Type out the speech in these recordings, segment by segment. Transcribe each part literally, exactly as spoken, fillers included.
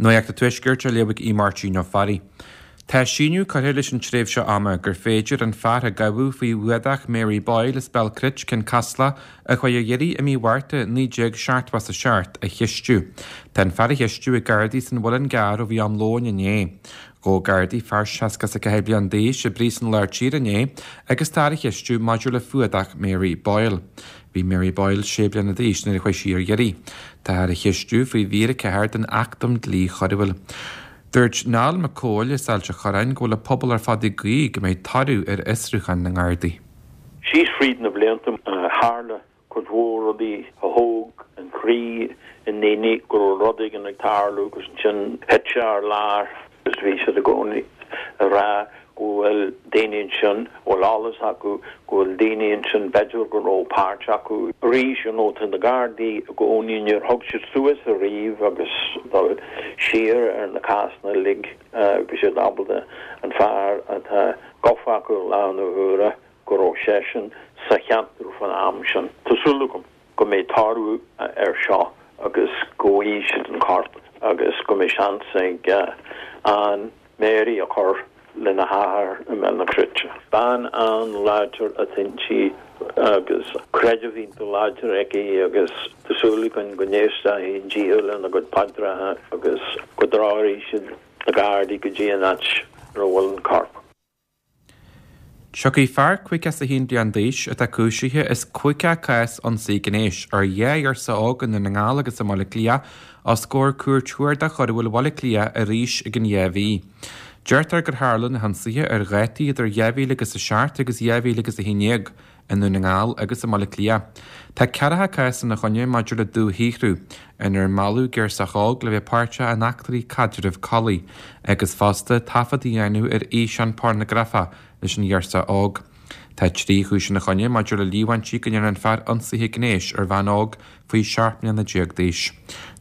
Nuacht an Tuaiscirt á léamh ag Máirtín Ó Fearraigh. Tá síneadh curtha leis an tréimhse ama gur féidir an fear a gabhadh faoi fhuadach Mary Boyle as Béal Cruit Cionn Caslach a chuaigh ar iarraidh i mí Mhárta naoi déag seachtó a seacht a cheistiú. Tá an fear á cheistiú ag Gardaí san Mhuileann gCearr ó bhí am lóin inné. Ghabh Gardaí fear seasca a ceathair bliain d'aois i bPríosún Lár Tíre inné agus tá á cheistiú maidir le fuadach Mary Boyle. Bhí Mary Boyle sé bliana d'aois nuair a chuaigh sí ar iarraidh. Tá á cheistiú faoi mhír a ceathair den Acht um Dlí Choiriúil. Dúirt Niall Mac Cóil as Ailt an Chorráin go bhfuil an pobal ar fad ag guí go mbeidh toradh ar fhiosrúchán na nGardaí. Síos fríd na blianta tharla cuid mhór rudaí a thóg an croí i ndaoine go raibh rud éigin ag tarlú agus ansin thit sé ar lár agus bhí siad i gcónaí ag rá go bhfuil daoine ansin bhfuil eolas acu go bhfuil daoine ansin b'fhéidir go raibh páirt acu arís you know tá na Gardaí i gcónaí níor thug siad suas ariamh agus dul siar ar na cásanna uilig bhí siad ábalta an fear atá gafa acu lá na huaire go raibh seisean sa cheantar fan am sin. Tá súil agam go mbeidh toradh ar seo agus go bhfaighidh siad an corp agus go mbeidh seans ag an Mary a chur lena hathair i mBéal na Cruite. Bean an-láidir atá inti agus creideamh iontach láidir aici agus tá súil againn go n-éistfidh Dia lena gcuid paidreacha agus go dtreoróidh siad na Gardaí go dtí an áit a bhfuil an corp. Tiocfaidh fear caoga is a haon bliain d'aois atá cúisithe as caoga cás ionsaí gnéis ar dhá ghirseach óg i nDún na nGall agus i mBaile Átha Cliath os comhair Cúirt Chuarda Choiriúil Bhaile Átha Cliath arís i gceann dhá mhí. Deirtear gur tharla na hionsaithe ar dhátaí idir dhá mhíle agus a seacht agus dhá mhíle agus a haon déag i nDún na nGall agus i mBaile Átha Cliath. Tá ceathracha cás ina choinne maidir le dúshaothrú, inar mealladh girseach óg le bheith páirteach in eachtraí caidrimh collaí, agus fosta taifead a dhéanamh ar fhíseán pornagrafach leis an ghirseach óg. Tá trí chúis ina choinne maidir le líomhaintí go ndearna an fear ionsaithe gnéis ar bhean óg faoi seacht mbliana déag d'aois.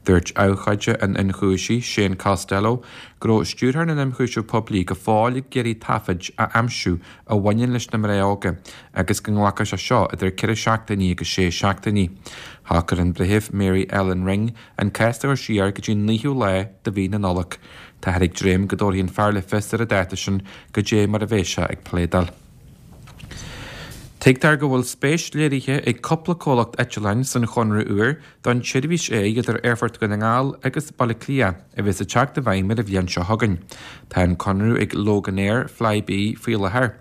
Dúirt abhcóide an ionchúisí, Shane Costello, go raibh stiúrthóir na n-ionchúiseamh poiblí go fóill ag iarraidh taifid a aimsiú a bhaineann leis na mná óga agus go nglacfadh sé seo idir ceithre seachtainí agus sé seachtainí. Shocair an Breitheamh Mary Ellen Ring an cás a chur siar go dtí an naoú lá de mhí na Nollag. Táthar ag dréim go dtabharfaidh an fear le fios ar an dáta sin goidé mar a bheidh sé ag pléadáil. Tuigtear go bhfuil spéis léirithe ag cúpla comhlacht eitleáin san chonradh úr don tseirbhís aeir idir Aerfort Dhún na nGall agus Baile Átha Cliath a bheas ag teacht i bhfeidhm ar an bhliain seo chugainn. Tá an conradh ag Loganair Flybe faoi láthair.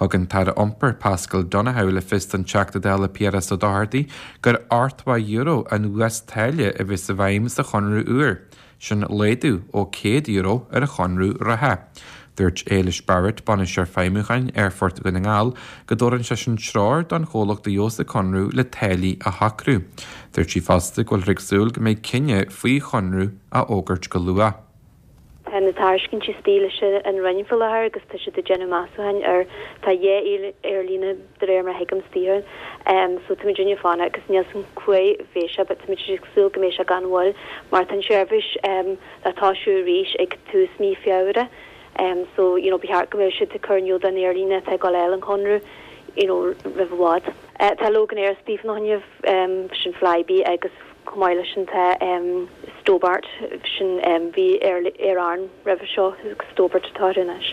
Thug an tAire Iompair Paschal Donohoe le fios don Teachta Dála Piaras Ó Dochartaigh gur ochtó euro an uastáille a bheas i bhfeidhm sa chonradh úr, sin laghdú ó céad euro ar an chonradh reatha. Dúirt Éilis Barrett, bainisteoir feidhmiúcháin Aerfort Dhún na nGall, go dtabharann sé sin treoir don chomhlacht a gheobhas an conradh le táillí a shocrú. Dúirt sí fosta go bhfuil ag súil go mbeidh cinneadh faoi chonradh á fhógairt go luath. Tá na tairiscintí istigh leis an Roinn faoi láthair agus tá siad ag déanamh measúcháin ar tá dhá aerlíne de réir mar a thuigim istigh um, so táimid ag fanacht agus níl san chuaigh bhéis sé, but táimid ag súil go mbeidh sé gan mhoill mar tá an seirbhís um, le tosú arís ag tús mí Feabhra. Um, so you know, ba cheart go mbeidh siad ag cur in iúl don aerlíne atá ag dul an conradh you know, roimh i bhfad. Uh, tá Loganair istigh fá choinne um, sin Flybe agus chomh maith leis sin tá um, Stobart sin um, bhí Aer Arann roimhe seo Stobart atá anois.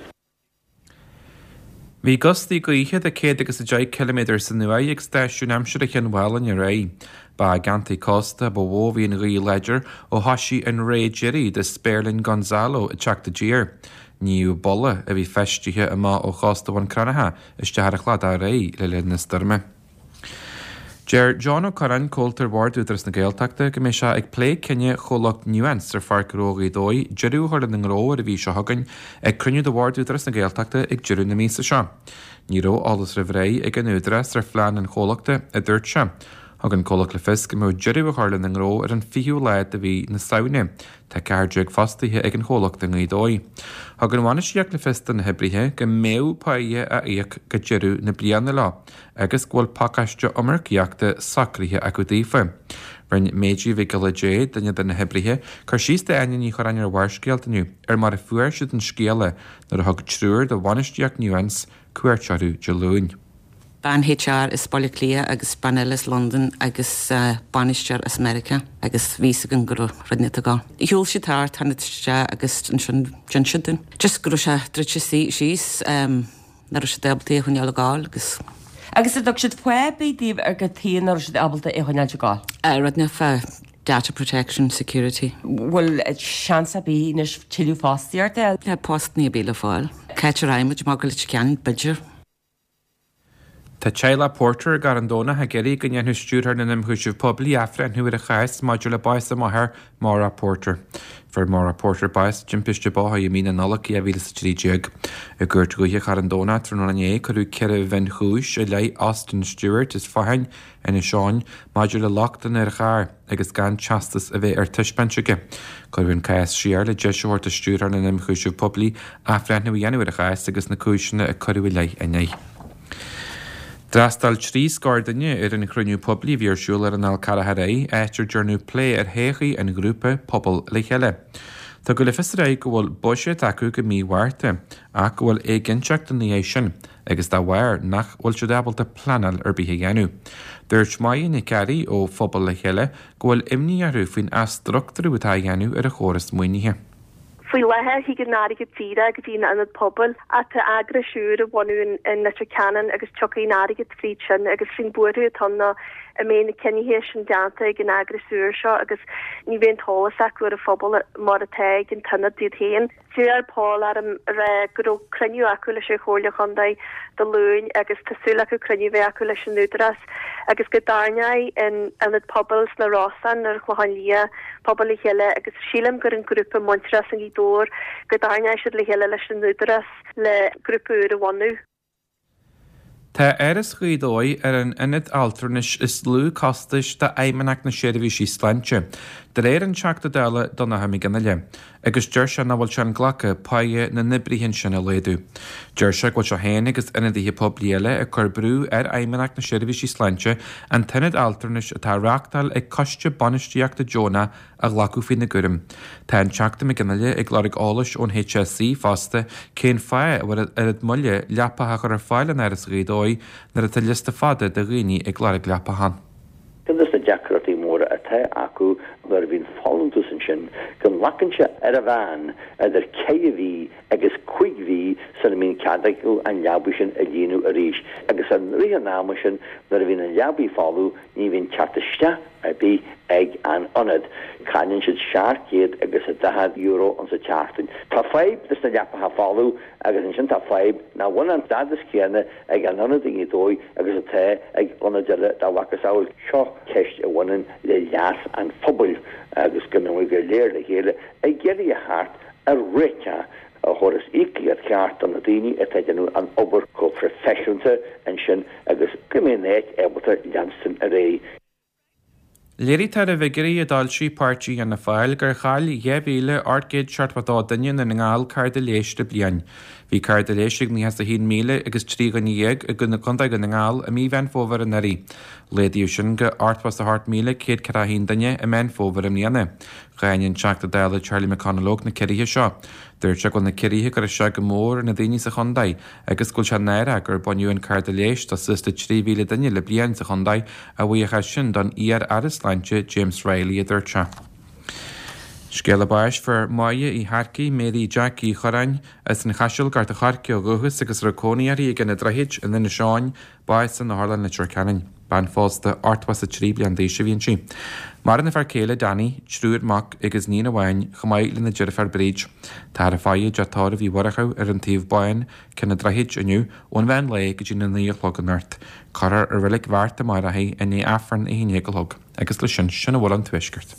Bhí gustaí gaoithe de céad agus a deich ciliméadar san uair ag stáisiún aimsire Chionn Mhálanna aréir. Ba i gceantair cósta ba mhó a bhí an ghaoth láidir ó thosaigh an ré deiridh de spéirling Gonzalo ag teacht i dtír. Níodh bulla a bhí feistithe amach ó chósta Bhun Cranncha isteach ar an chladach aréir le linn na stoirme. Deir John Ó Curráin, comhalta ar Bhord Údarás na Gaeltachta, go mbeidh sé ag plé cinneadh chomhlacht Nuance ar Pháirc Ghnó Ghaoth Dobhair deireadh a chur lena ngnó ar an mhí seo chugainn ag cruinniú de Bhord Údarás na Gaeltachta ag deireadh na míosa seo. Ní raibh eolas roimh ré ag an Údarás ar phlean an chomhlachta, a dúirt sé. Thug an comhlacht le fios go mbeadh deireadh a chur lena ngnó ar an fichiú lá de mhí na Samhna. Tá ceathair déag fostaithe ag an chomhlacht i nGaoth Dobhair. Thug an bhainistíocht le fios do na hoibrithe go mbeadh páighe á íoc go deireadh na bliana leo, agus go bhfuil pacáiste iomarcaíochta socraithe acu daofa. Rinne Méidí Mhic Giolla Dé, duine de na hoibrithe, cur síos d'Áine Ní Churráin ar Bharrscéalta inniu ar mar a fuair siad an scéala nuair a thug triúr de bhainistíocht Nuance cuairt orthu Dé Luain. Bean HR as Baile Átha Cliath agus bean eile as London agus uh, bainisteoir as America agus bhí an go rinne gá. Shiúil siad thart tháinig isteach agus ansin d'inis siad dúinn. Just go raibh sé druidte síos um, nach raibh siad ábalta é a choinneáil ag gabháil agus Agus an dtug siad fáth ar bith daoibh ar cad chuige nach raibh siad ábalta é a choinneáil ag gabháil. Uh, rud fá data protection security. Bhfuil seans ar bith anois tuilleadh fostaíochta? Ja, post ní bí le fáil. Caitir aimid má go le cean b'fhéidir. Tá teaghlach Porter i gCarn Domhnach ag iarraidh go ndéanfaidh Stiúrthóir na nImchúiseamh Poiblí athbhreithniú ar a chás maidir le bás a máthar Maura Porter. Fuair Maura Porter bás i dtimpiste bóthair i mí na Nollag dhá mhíle is a trí déag. I gCúirt Dhúiche Charn Domhnach tráthnóna inné cuireadh ceithre mhionchúis i leith Austin Stewart as Fathain Inis Eoghain maidir le lochtanna ar a charr agus gan teastas a bheith ar taispeáint aige. Cuireadh an cás siar le deis a thabhairt do Stiúrthóir na nImchúiseamh Poiblí athbhreithniú a dhéanamh ar a chás agus na cúiseanna a cuireadh i leith inné. D'fhreastail trí scór duine ar an chruinniú poiblí a bhí ar siúl ar an Fhál Carrach aréir, áit ar dearnadh plé ar thodhchaí an ghrúpa Pobal le Chéile. Tugadh le fios aréir go bhfuil buiséad acu go mí Mhárta, ach go bhfuil éiginnteacht ina dhiaidh sin, agus dá bharr nach bhfuil siad ábalta pleanáil ar bith a dhéanamh. Dúirt Máire Nic Fhearraigh ó Phobal le Chéile go bhfuil imní orthu faoin athstruchtúrú atá á dhéanamh ar an chóras maoinithe. Faoi láthair thig an airgead díreach go dtí an ionad pobail ach tá eagras úr á bhunú in Leitir Ceanainn agus tiocfaidh an airgead fríd sin agus faoin buaireamh atá ná an mbeidh na cinnithe sin déanta ag an eagras úr seo agus ní bheidh an t-eolas acu ar an phobal mar atá ag an t-ionad iad féin. D'iarr Paul orm rá go raibh cruinniú acu leis an Chomhairle Chontae Dé Luain agus tá súil acu cruinniú bheith acu leis an Údarás agus go dtarraingeoidh an ionad pobail sna Rosann ar Chlochán Liath pobal le chéile agus sílim gur an grúpa Muintearas i nGaoth Dobhair go dtarraingeoidh siad le chéile leis an Údarás le grúpa úr a bhunú. Tá Áras Ghaoth Dobhair ar an ionad altranais is lú costais d'Fheidhmeannacht na Seirbhísí Sláinte, de réir an Teachta Dála Donnchadh Mac Fhionnghaile, agus deir sé nach bhfuil sé inghlactha páighe na n-oibrithe sin a laghdú. Deir sé go bhfuil sé féin agus ionadaithe poiblí eile ag cur brú ar Fheidhmeannacht na Seirbhísí Sláinte an t-ionad altranais atá á reáchtáil ag Coiste Bainistíochta Deonach a ghlacadh faoina gcúram. Tá an Teachta Mac Fhionnghaile ag lorg eolais ón HSE fosta cén fáth a bhfuil oiread moille leapacha a chur ar fáil in Áras Ghaoth Dobhair nuair atá liosta fada de dhaoine ag lorg leapachán. Ceann de na deacrachtaí móra atá acu nuair a bhíonn folúntas ansin go nglacann sé ar a mheán idir ceithre mhí agus cúig mhí sula mbíonn cead acu an leaba sin a líonadh arís agus i rith an ama sin nuair a bhíonn an leaba folamh ní bhíonn teacht isteach ar bith ag an ionad. Cailleann siad seacht gcéad agus a daichead euro insa tseachtain. Tá fadhb leis na leapacha folamh agus ansin tá fadhb nach bhfuil an stádas céanna ag an ionad i nGaoth Dobhair agus atá ag ionaid eile dá mhacasamhail. Seo ceist a bhaineann le leas an phobail agus go mbeidh go léir le chéile ag iarraidh a theacht ar réiteach a thabharfas íocaíocht cheart do na daoine atá ag déanamh an obair chomh proifisiúnta ansin agus go mbeidh an áit ábalta leanstan ar aghaidh. Léirigh tairbhe bhfigiúirí a d'fhoilsigh páirtí Fhianna Fáil gur chaill dhá mhíle ocht gcéad seachtó a dó duine i nDún na nGall cárta leighis le bliain. Bhí cárta leighis ag nócha is a haon míle agus trí dhuine dhéag i gContae Dhún na nGall i mí Mheán Fómhair anuraidh. Laghdaíodh sin go ochtó is a hocht míle céad ceathracha a haon duine i Meán Fómhair i mbliana. Cháin an Teachta Dála Charlie McConalogue na ciorruithe seo. Dúirt sé go bhfuil na ciorruithe ag cur isteach go mór ar na daoine sa chontae agus go bhfuil sé náireach gur baineadh an cárta leighis de suas le trí mhíle duine le bliain sa chontae a bhuíochas sin don iar-aire sláinte James Reilly a dúirt sé. Scéala báis fuair Máire Uí Shearcaigh, Mary Jack Uí Chorráin, as an Chaiseal, Gort an Choirce ó dhúchas agus a raibh cónaí uirthi ag an Droichid in Inis Eoghain, bás in Otharlann Leitir Ceanainn. Bean phósta ochtó is a trí bliain d'aois a bhí inti. Maireann a fear céile Danny, triúr mac agus iníon amháin, chomh maith lena deirfiúr Bríd. Táthar ag faire i dteach tórraimh Uí Mhurchú ar an Taobh Bán, Cionn an Droichid inniu, ón mheán lae go dtí na naoi a chlog anocht. Cuirfear i Reilig Bheart amárach í i ndiaidh Aifreann a haon déag a chlog. Agus leis sin, sin a bhfuil ón Tuaisceart.